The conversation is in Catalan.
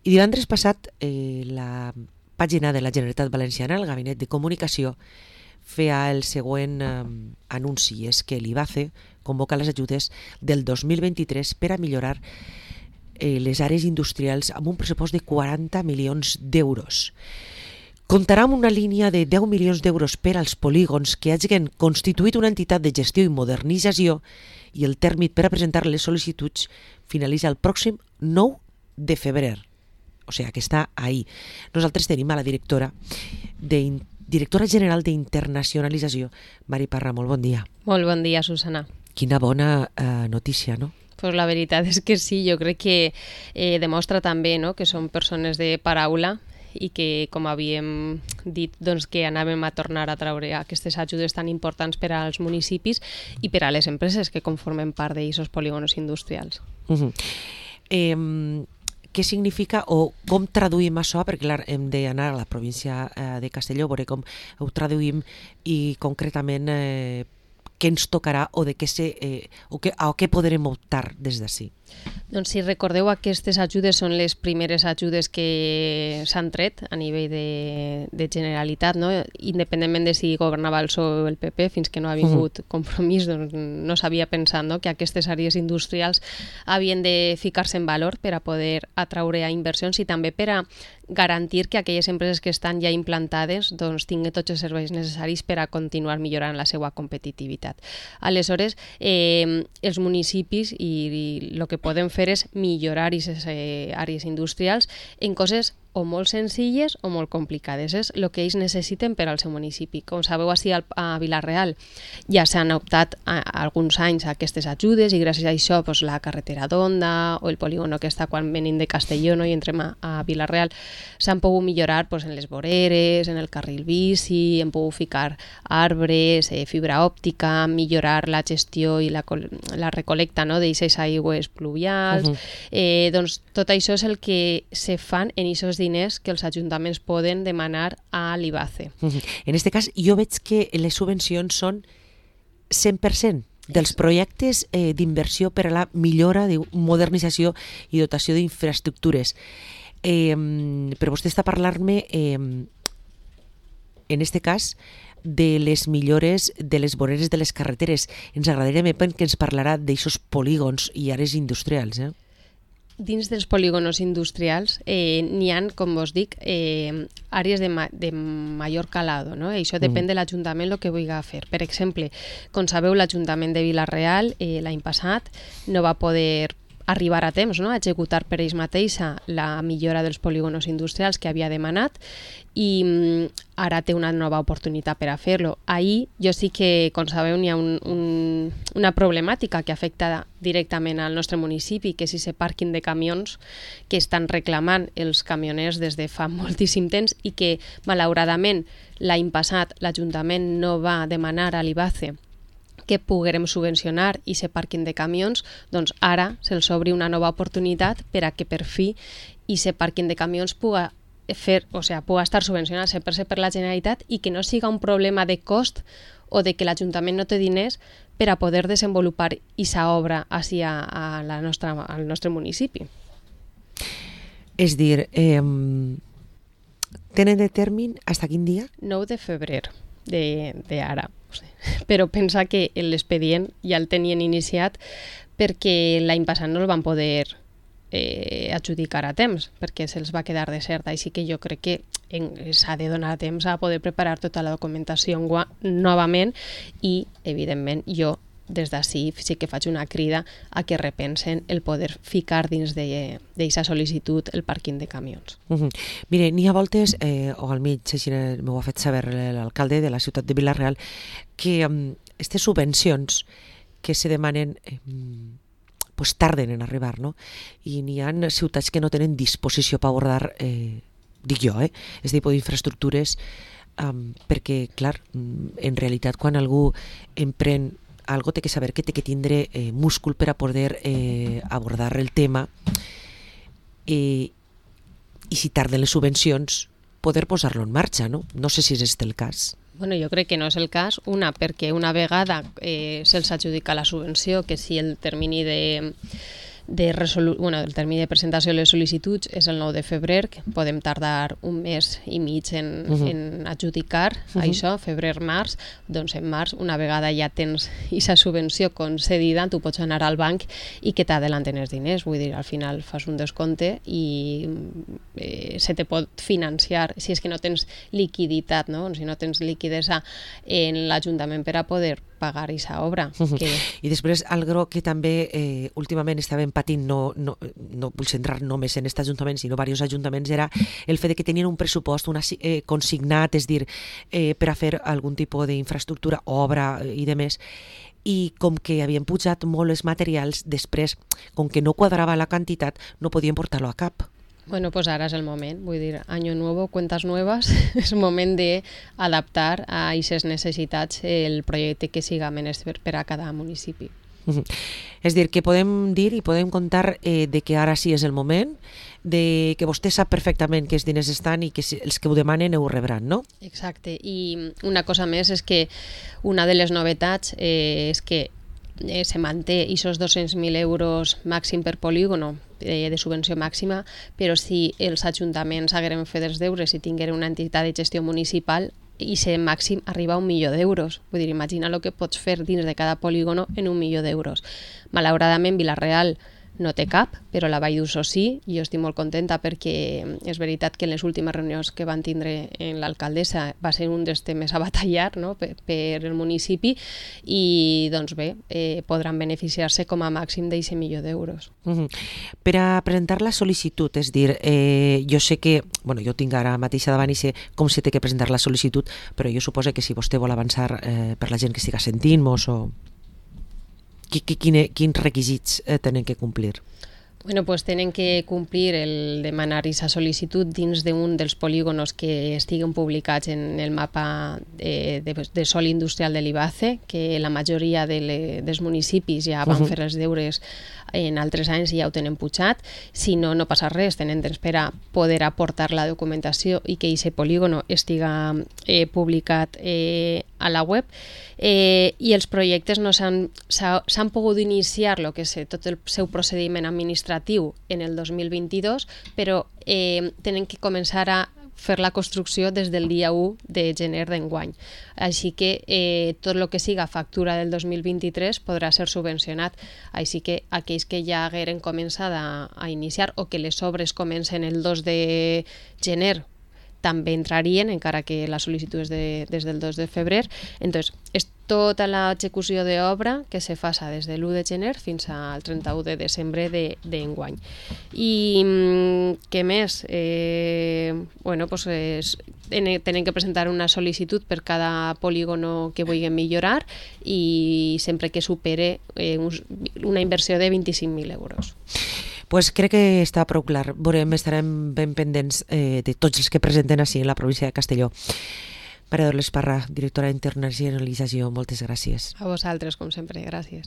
I divendres passat la pàgina de la Generalitat Valenciana, el Gabinet de Comunicació, feia el següent anunci, és que l'IBACE convoca les ajudes del 2023 per a millorar les àrees industrials amb un pressupost de 40 milions d'euros. Comptarà amb una línia de 10 milions d'euros per als polígons que hagin constituït una entitat de gestió i modernització i el tèrmit per a presentar les sol·licituds finalitza el pròxim 9 de febrer. O sigui, que està ahí. Nosaltres tenim a la directora general d'Internacionalització, Mari Parra. Molt bon dia. Molt bon dia, Susana. Quina bona notícia, no? Pues la veritat és que sí, jo crec que demostra també, no?, que som persones de paraula i que, com havíem dit, doncs, que anàvem a tornar a treure aquestes ajudes tan importants per als municipis i per a les empreses que conformen part d'aquests polígonos industrials. Què significa o com traduïm això? Perquè clar, hem d'anar a la província de Castelló, veure com ho traduïm i concretament què ens tocarà o de a què podrem optar des d'ací. Doncs si recordeu, aquestes ajudes són les primeres ajudes que s'han tret a nivell de Generalitat, no? Independentment de si governava el PSOE o el PP, fins que no ha vingut compromís, doncs no s'havia pensat, no?, que aquestes àrees industrials havien de ficar-se en valor per a poder atraure a inversions i també per a garantir que aquelles empreses que estan ja implantades doncs tinguin tots els serveis necessaris per a continuar millorant la seva competitivitat. Aleshores, els municipis i el que podem fer és millorar aquestes àrees industrials en coses o molt senzilles o molt complicades. És el que ells necessiten per al seu municipi. Com sabeu, així a Vila-real ja s'han optat alguns anys a aquestes ajudes i gràcies a això doncs, la carretera d'Onda o el polígono que està quan venim de Castelló, no?, i entrem a Vila-real s'han pogut millorar doncs, en les voreres, en el carril bici, hem pogut ficar arbres, fibra òptica, millorar la gestió i la recolecta, no?, d'aquestes aigües pluvials. Doncs tot això és el que se fan en aquests diners que els ajuntaments poden demanar a l'IBACE. En aquest cas, jo veig que les subvencions són 100% dels projectes d'inversió per a la millora, modernització i dotació d'infraestructures. Però vostè està parlant-me, en aquest cas, de les millores de les voreres de les carreteres. Ens agradaria que ens parlarà d'aixòs polígons i àrees industrials, Dins dels polígonos industrials n'hi ha, com vos dic, àrees de major calado, no? I això depèn de l'Ajuntament el que vulgui fer. Per exemple, com sabeu, l'Ajuntament de Vila-real l'any passat no va poder arribar a temps, no?, a executar per ells mateixa la millora dels polígonos industrials que havia demanat i ara té una nova oportunitat per a fer-lo. Ahir jo sí que, com sabeu, n'hi ha una problemàtica que afecta directament al nostre municipi, que és aquest pàrquing de camions que estan reclamant els camioners des de fa moltíssim temps i que, malauradament, l'any passat l'Ajuntament no va demanar a l'IBACE que poguérem subvencionar aquest pàrquing de camions, doncs ara se'ls obri una nova oportunitat per a que per fi aquest pàrquing de camions pugui estar subvencionat 100% per la Generalitat i que no siga un problema de cost o de que l'Ajuntament no té diners per a poder desenvolupar aquesta obra al nostre municipi. És dir, tenen de termini fins quin dia? 9 de febrer d'ara. Però pensa que l'expedient ja el tenien iniciat perquè l'any passat no el van poder adjudicar a temps, perquè se'ls va quedar desert. Així que jo crec que s'ha de donar temps a poder preparar tota la documentació novament i, evidentment, jo des d'ací sí que faig una crida a que repensen el poder ficar dins d'aquesta sol·licitud el pàrquing de camions. Mire, n'hi ha voltes, o almenys així m'ho ha fet saber l'alcalde de la ciutat de Vila-real, que aquestes subvencions que se demanen pues tarden en arribar, no? I n'hi ha ciutats que no tenen disposició per abordar, dic jo, aquest tipus d'infraestructures, perquè, clar, en realitat quan algú emprèn algo té que saber que té que tindre múscul per a poder abordar el tema i si tarden les subvencions poder posar-lo en marxa, no? No sé si és este el cas. Bueno, jo crec que no és el cas, perquè una vegada se'ls adjudica la subvenció, que si el termini el termini de presentació de les sol·licituds és el 9 de febrer, que podem tardar un mes i mig en adjudicar això, febrer-març. Doncs en març, una vegada ja tens aquesta subvenció concedida, tu pots anar al banc i que t'adelanten els diners. Vull dir, al final fas un descompte i se te pot financiar, si és que no tens liquiditat, no? Si no tens liquidesa en l'Ajuntament per a poder pagar aquesta obra. I després, algo que també últimament estàvem patint, no vull centrar només en aquest Ajuntament, sinó diversos ajuntaments, era el fet que tenien un pressupost consignat, és dir, per a fer algun tipus d'infraestructura, obra i demés, i com que havien pujat molt els materials, després, com que no quadrava la quantitat, no podien portar-lo a cap. Bueno, pues ara és el moment, vull dir, año nuevo, cuentas nuevas, és moment d'adaptar a aquestes necessitats el projecte que siga menester per a cada municipi. És dir, que podem dir i podem contar de que ara sí és el moment, de que vostè sap perfectament que els diners estan i que els que ho demanen ho rebran, no? Exacte, i una cosa més és que una de les novetats és que se manté aquests 200.000 euros màxim per polígono de subvenció màxima, però si els ajuntaments hagueren fet els deures i tingueren una entitat de gestió municipal, i ser màxim arriba a 1 milió d'euros. Vull dir, imagina el que pots fer dins de cada polígono en 1 milió d'euros. Malauradament, Vila-real no té cap, però la Vall d'Uso sí, i jo estic molt contenta perquè és veritat que en les últimes reunions que van tindre en l'alcaldessa va ser un dels temes a batallar, no? per el municipi, i doncs bé, podran beneficiar-se com a màxim d'aquest milió d'euros. Per a presentar la sol·licitud, és dir, jo sé que, jo tinc ara mateix davant i sé com se té que presentar la sol·licitud, però jo suposo que si vostè vol avançar per la gent que estiga sentint-nos o... Quins requisits tenen que complir? Bueno, pues tenen que complir el demanar aquesta sol·licitud dins d'un dels polígonos que estiguen publicats en el mapa de sòl industrial de l'IBACE, que la majoria dels municipis ja van fer els deures en altres anys i ja ho tenen pujat. Si no, no passa res, tenen temps per a poder aportar la documentació i que aquest polígono estiga publicat a la web. I els projectes s'han pogut iniciar tot el seu procediment administratiu en el 2022, però tenen que començar a fer la construcció des del dia 1 de gener d'enguany. Així que tot el que siga factura del 2023 podrà ser subvencionat. Així que aquells que ja hagueren començat a iniciar o que les obres comencen el 2 de gener també entrarien, encara que la sol·licitud és des del 2 de febrer. Entonces, és tota l'execució d'obra que se faça des de l'1 de gener fins al 31 de desembre d'enguany. I què més? Tenen que presentar una sol·licitud per cada polígono que vulguin millorar i sempre que supere una inversió de 25.000 euros. Pues crec que està prou clar. Estarem ben pendents de tots els que presenten així en la província de Castelló. Maria Dolors Parra, directora d'Internacionalització, moltes gràcies. A vosaltres, com sempre, gràcies.